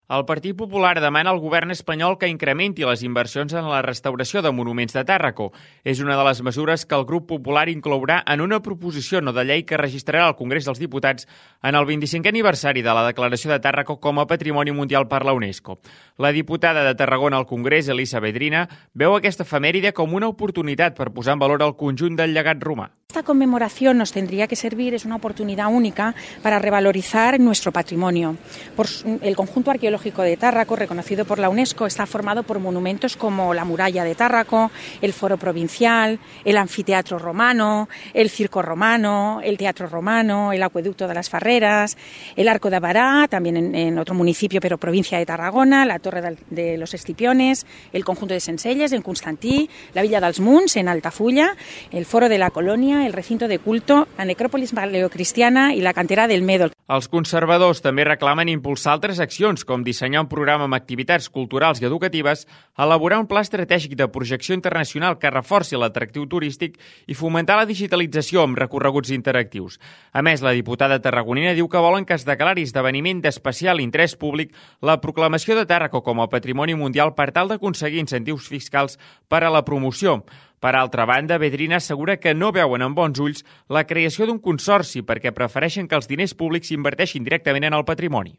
El Partit Popular demana al govern espanyol que incrementi les inversions en la restauració de monuments de Tàrraco. És una de les mesures que el grup popular inclourà en una proposició no de llei que registrarà al Congrés dels Diputats en el 25è aniversari de la declaració de Tàrraco com a Patrimoni Mundial per la UNESCO. La diputada de Tarragona al Congrés, Elisa Vedrina, veu aquesta efemèride com una oportunitat per posar en valor el conjunt del llegat romà. Esta conmemoración nos tendría que servir, es una oportunidad única para revalorizar nuestro patrimonio. El conjunto arqueológico de Tárraco, reconocido por la UNESCO, está formado por monumentos como la muralla de Tárraco, el foro provincial, el anfiteatro romano, el circo romano, el teatro romano, el acueducto de las Farreras, el arco de Bará, también en otro municipio pero provincia de Tarragona, la torre de los Escipiones, el conjunto de Sencelles en Constantí, la villa dels Munts en Altafulla, el foro de la Colonia, el recinto de culto, la necròpolis paleocristiana i la cantera del Médol. Els conservadors també reclamen impulsar altres accions, com dissenyar un programa amb activitats culturals i educatives, elaborar un pla estratègic de projecció internacional que reforci l'atractiu turístic i fomentar la digitalització amb recorreguts interactius. A més, la diputada tarragonina diu que volen que es declari esdeveniment d'especial interès públic la proclamació de Tàrraco com a Patrimoni Mundial per tal d'aconseguir incentius fiscals per a la promoció. Per altra banda, Vedrina assegura que no veuen amb bons ulls la creació d'un consorci perquè prefereixen que els diners públics s'inverteixin directament en el patrimoni.